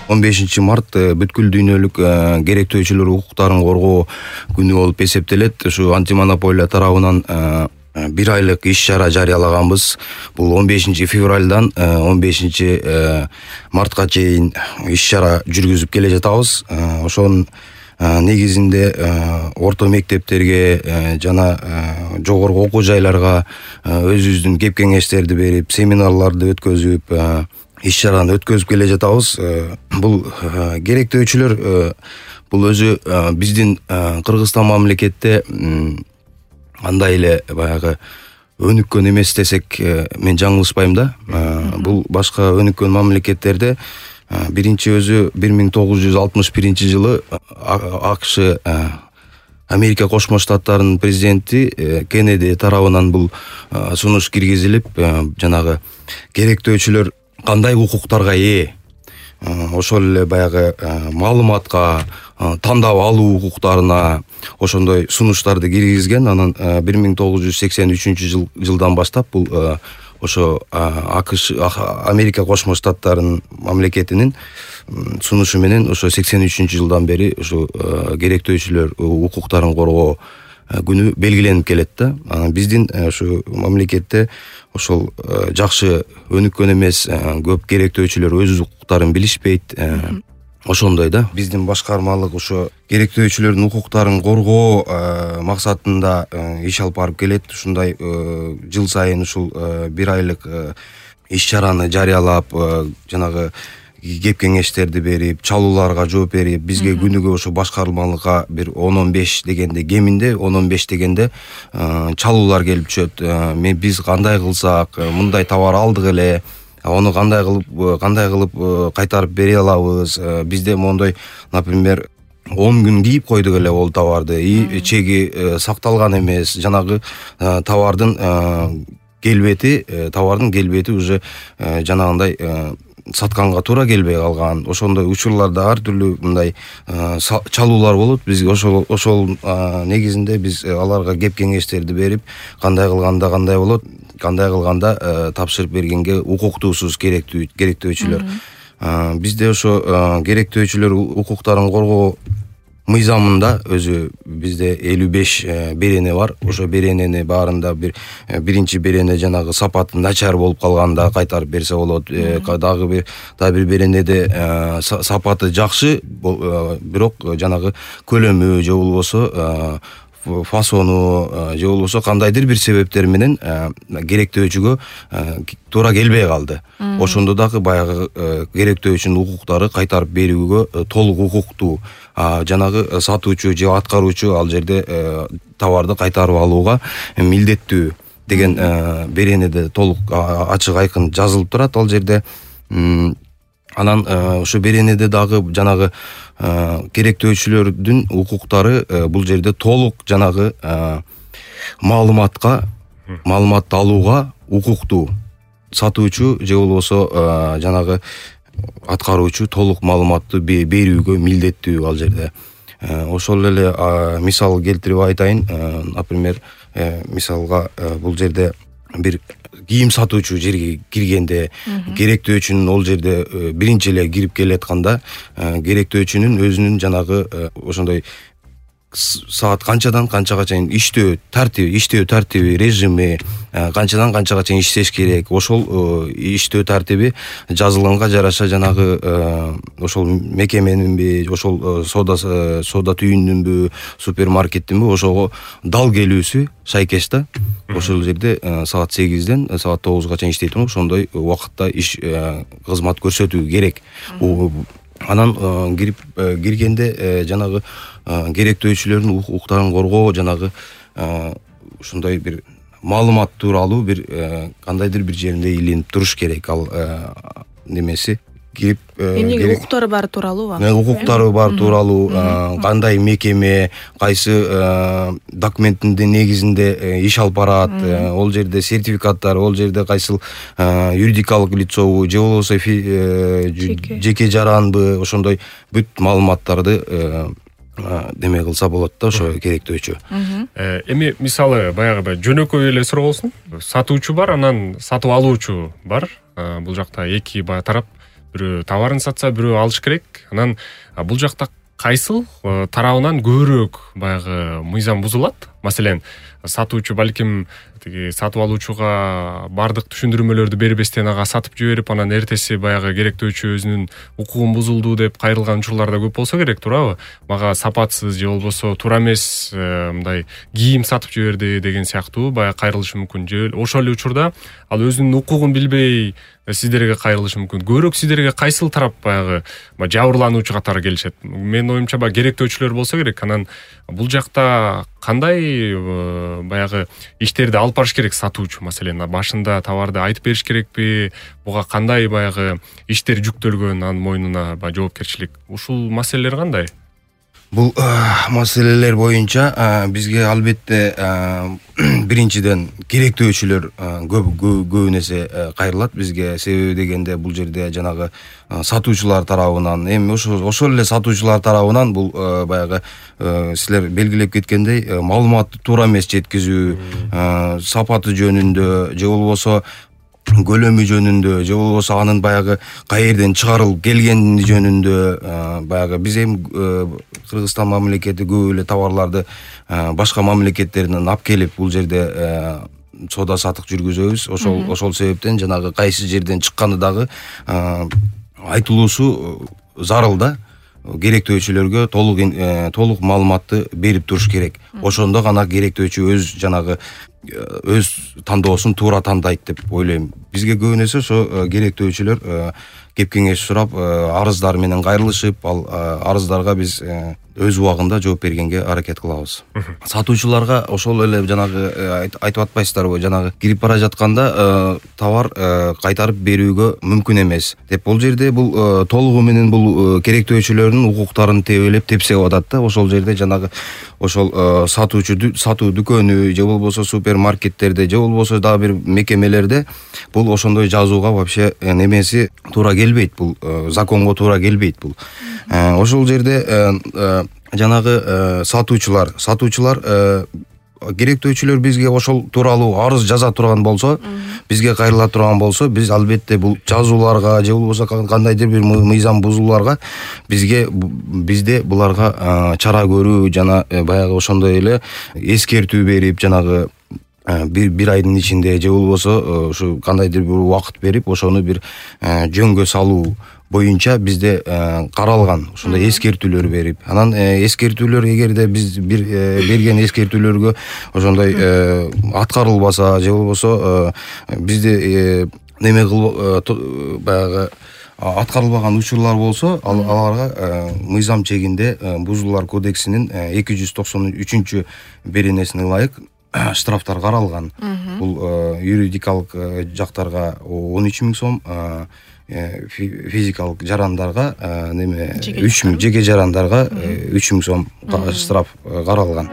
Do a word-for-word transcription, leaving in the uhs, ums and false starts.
он бешинчи март бүткүл дүйнөлүк керектөөчүлөр укуктарын коргоо күнү болуп эсептелет. Ушу антимонополия тарабынан бир айлык иш чара жарыялаганбыз. Бул он бешинчи февралдан он бешинчи мартка чейин иш чара жүргүзүп келе жатабыз. Ошонун негизинде орто мектептерге жана жогорку окуу жайларга өзүбүздүн кеп кеңештерди берип, семинарларды өткөзүп, иш чараны өткөзүп келе жатабыз. Бул керектөөчүлөр бул өзү биздин Кыргызстан мамлекетте андай эле баягы өнүккөн эмес десек мен жаңылышпайм да. Бул башка өнүккөн мамлекеттерде биринчи өзү бир миң тогуз жүз алтымыш биринчи жылы АКШ Америка Кошмо Штаттарынын президенти Кеннеди тарабынан бул сунуш киргизилип, жанагы керектөөчүлөр кандай укуктарга ээ, ошол эле баягы маалыматка, тандап алуу укуктарына ошондой сунуштарды киргизген. Анан бир миң тогуз жүз сексен үчүнчү жылдан баштап бул ошо АКШ Америка Кошмо Штаттарынын мамлекетинин сунушу менен ошо сексен үчүнчү жылдан бери ошо керектөөчүлөр укуктарын коргоо күнү белгиленип келет да. Анан биздин ушу мамлекетте ошол жакшы өнүккөн эмес көп керектөөчүлөр өз укуктарын билишпейт. Ошондой да. Биздин башкармалык ошо керектөөчүлөрдүн укуктарын коргоо максатында иш алып барып келет. Ушундай жыл сайын ушул бир айлык иш чараны жарыялап, жанагы кеп кеңештерди берип, чалууларга жооп берип, бизге күнүгө ошо башкармалыкка бир он он беш дегенде, кеминде он он беш дегенде чалуулар келип түшөт. Мен биз кандай кылсак, мындай товар алдык эле, аны кандай кылып кандай кылып кайтарып бере алабыз? Бизде мондой, например, он күн кийип койдук эле ол товарды, и чеги сакталган эмес, жанагы товардын келбети, товардын келбети уже жанагындай сатканга туура келбей калган. Ошондой учурларда ар түрлүү мындай чалуулар болот. Биз ошол ошол негизинде биз аларга кеп кеңештерди берип, кандай кылганда кандай болот, кандай кылганда тапшырып бергенге укуктуусуз керектүү керектөөчүлөр. Бизде ошо керектөөчүлөр укуктарын коргоо мыйзамында өзү бизде элүү беш берене бар. Ошо беренени баарында бир биринчи берене жанагы сапаты начар болуп калганда кайтарып берсе болот. Дагы бир дагы бир беренеде сапаты жакшы, бирок жанагы көлөмү же болбосо фасону же болбосо кандайдыр бир себептер менен керектөөчүгө туура келбей калды. Ошондо дагы баягы керектөөчүнүн укуктары кайтарып берүүгө толук укуктуу. Жанагы сатуучу же аткаруучу ал жерде товарды кайтарып алууга милдеттүү деген беренеде толук ачык айкын жазылып турат ал жерде. Анан ошо беренеде дагы жанагы керектөөчүлөрдүн укуктары бул жерде толук жанагы маалыматка, маалыматты алууга укуктуу. Сатуучу же болбосо жанагы аткаруучу толук маалыматты берүүгө милдеттүү ал жерде. Ошол эле мисал келтирип айтайын. Например, мисалга бул жерде бир кийим сатуучу жерге киргенде керектөөчүнүн ол жерде биринчи эле кирип келатканда керектөөчүнүн өзүнүн жанагы ошондой саат канчадан канчага чейин иштөө тартиби, иштөө тартиби, режими, канчадан канчага чейин иштеш керек, ошол иштөө тартиби жазылганга жараша жанагы ошол мекеменинби, ошол сода сода түйүнүнбү, супермаркеттинби ошого дал келүүсү шайкеш да. Ошол жерде саат сегизден саат тогузга чейин иштейт, ошондой убакытта иш кызмат көрсөтүү керек. Анан кирип киргенде жанагы керектөөчүлөрдүн укуктарын коргоо, жанагы ушундай бир маалымат тууралуу бир кандайдыр бир жеринде илинип туруш керек. Ал немеси кирип эмнеге укуктары бар тууралуу, укуктары бар тууралуу, кандай мекеме, кайсы документтин негизинде иш алып барат, ол жерде сертификаттар, ол жерде кайсыл юридикалык лицобу же болбосо жеке жаранбы, ошондой бүт маалыматтарды деме кылса болот да ошо керектөөчү. Эми мисалы баягы жөнөкөй эле суроосун. Сатуучу бар, анан сатып алуучу бар. Бул жакта эки баягы тарап бирөө товарын сатса, бирөө алыш керек. Анан бул жакта кайсыл тарабынан көбүрөөк баягы мыйзам бузулат? Маселен, сатуучу балким тиги сатып алуучуга бардык түшүндүрмөлөрдү бербестен ага сатып жиберип, анан эртеси баягы керектөөчү өзүнүн укугун бузулду деп кайрылган учурлар да көп болсо керек, туурабы? Мага сапатсыз же болбосо туура эмес мындай кийим сатып жиберди деген сыяктуу баягы кайрылышы мүмкүн. Же ошол эле учурда ал өзүнүн укугун билбей сиздерге кайрылышы мүмкүн. Көбүрөөк сиздерге кайсыл тарап баягы жабырлануучу катары келишет? Менин оюмча баягы керектөөчүлөр болсо керек. Анан бул жакта кандай баягы иштерди алып барыш керек сатуучу? Маселен, башында товарды айтып бериш керекпи? Буга кандай баягы иштер жүктөлгөн анын мойнуна, баягы жоопкерчилик? Ушул маселелер кандай? Бул маселелер боюнча бизге албетте биринчиден керектөөчүлөр көп көп нерсе кайрылат бизге. Себеби дегенде бул жерде жанагы сатуучулар тарабынан, эми ошол ошол эле сатуучулар тарабынан бул баягы силер белгилеп кеткендей маалыматты туура эмес жеткизүү, сапаты жөнүндө же болбосо көлөмү жөнүндө же болбосо анын баягы каерден чыгарылып келгени жөнүндө баягы биз эми Кыргызстан мамлекети көп эле товарларды башка мамлекеттерден алып келип бул жерде соода саттык жүргүзөбүз. Ошол ошол себептен жанагы кайсы жерден чыкканы дагы айтылуусу зарыл да. Керектөөчүлөргө толук толук маалыматты берип туруш керек. Ошондо гана керектөөчү өз жанагы өз тандоосун туура тандайт деп ойлойм. Бизге көп нерсе ошо керектөөчүлөр кеп кеңеш сурап, арыздар менен кайрылышып, ал арыздарга биз өз убагында жооп бергенге аракет кылабыз. Сатуучуларга ошол эле жанагы айтып атпайсыздарбы, жанагы кирип бара жатканда товар кайтарып берүүгө мүмкүн эмес деп. Бул жерде бул толугу менен бул керектөөчүлөрдүн укуктарын тебелеп тепсеп атат да. Ошол жерде жанагы ошол сатуучу сатуу дүкөнү же болбосо супермаркеттерде же болбосо дагы бир мекемелерде бул ошондой жазууга вообще немеси туура келбейт, бул законго туура келбейт бул. Ошол жерде жанагы сатуучулар сатуучулар керектөөчүлөр бизге ошол тууралуу арыз жаза турган болсо, бизге кайрыла турган болсо, биз албетте бул жазууларга же болбосо кандайдыр бир мыйзам бузууларга бизге бизде буларга чара көрүү жана баягы ошондой эле эскертүү берип, жанагы бир бир айдын ичинде же болбосо ушу кандайдыр бир убакыт берип, ошону бир жөнгө салуу боюнча бизде каралган ошондой эскертүүлөр берип, анан эскертүүлөр эгерде биз бир берген эскертүүлөргө ошондой аткарылбаса же болбосо бизде неме кылып баягы аткарылбаган учурлар болсо, аларга мыйзам чегинде Бузуулар кодексинин эки жүз токсон үчүнчү беренесине ылайык штрафтар каралган. Бул юридикалык жактарга он үч миң сом, физикалык жарандарга неме үч миң, жеке жарандарга үч миң сом штраф каралган.